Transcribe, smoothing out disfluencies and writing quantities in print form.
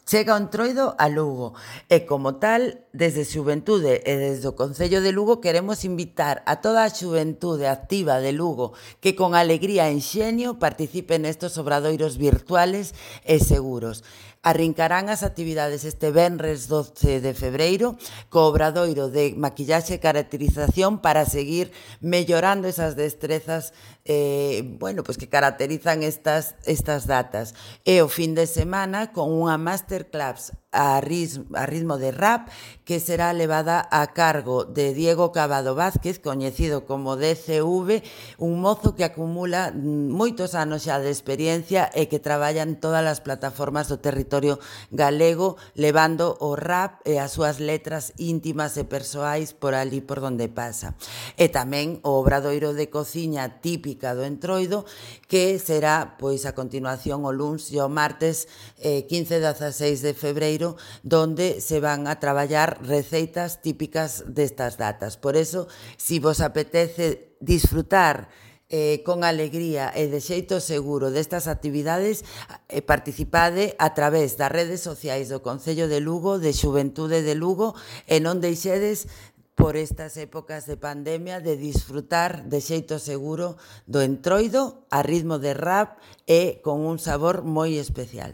Chega o Entroido a Lugo e, como tal, desde Xuventude e desde o Concello de Lugo queremos invitar a toda a xuventude activa de Lugo que con alegría e enxeño participe nestes obradoiros virtuales e seguros. Arrincarán as actividades este venres 12 de febreiro co obradoiro de maquillaxe e caracterización para seguir mellorando esas destrezas pois que caracterizan estas datas. E o fin de semana con unha masterclass a ritmo de rap que será levada a cargo de Diego Cavado Vázquez, coñecido como DCV, un mozo que acumula moitos anos xa de experiencia e que traballa en todas as plataformas do territorio galego, levando o rap e as súas letras íntimas e persoais por ali por donde pasa. E tamén o obradoiro de cociña típica do Entroido, que será pois a continuación o luns e o martes 15 e 16 de febreiro, donde se van a traballar receitas típicas destas datas. Por eso, si vos apetece disfrutar con alegría e de xeito seguro destas actividades, participade a través das redes sociais do Concello de Lugo, de Xuventude de Lugo, e non deixedes por estas épocas de pandemia de disfrutar de xeito seguro do Entroido a ritmo de rap e con un sabor moi especial.